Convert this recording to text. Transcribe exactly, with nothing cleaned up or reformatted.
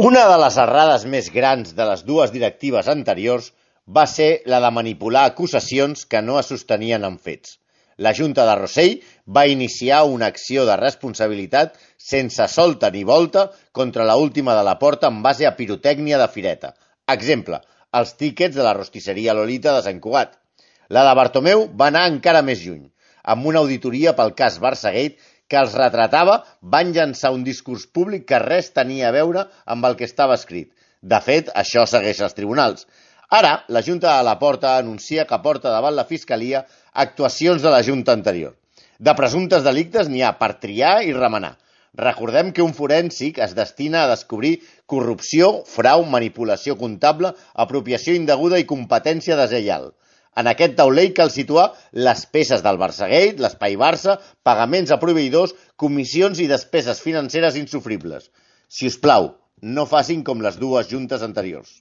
Una de les errades més grans de les dues directives anteriors va ser la de manipular acusacions que no es sostenien en fets. La Junta de Rossell va iniciar una acció de responsabilitat sense solta ni volta contra la última de la Porta en base a pirotècnia de fireta. Exemple, els tíquets de la rostisseria Lolita de Sant Cugat. La de Bartomeu va anar encara més lluny, amb una auditoria pel cas Barçagate que els retratava, van llançar un discurs públic que res tenia a veure amb el que estava escrit. De fet, això segueix als tribunals. Ara, la Junta de la Porta anuncia que porta davant la Fiscalia actuacions de la Junta anterior. De presumptes delictes n'hi ha per triar i remenar. Recordem que un forènsic es destina a descobrir corrupció, frau, manipulació comptable, apropiació indeguda i competència deslleial. En aquest taulell cal situar les peces del Barçagate, l'espai Barça, pagaments a proveïdors, comissions i despeses financeres insofribles. Si us plau, no facin com les dues juntes anteriors.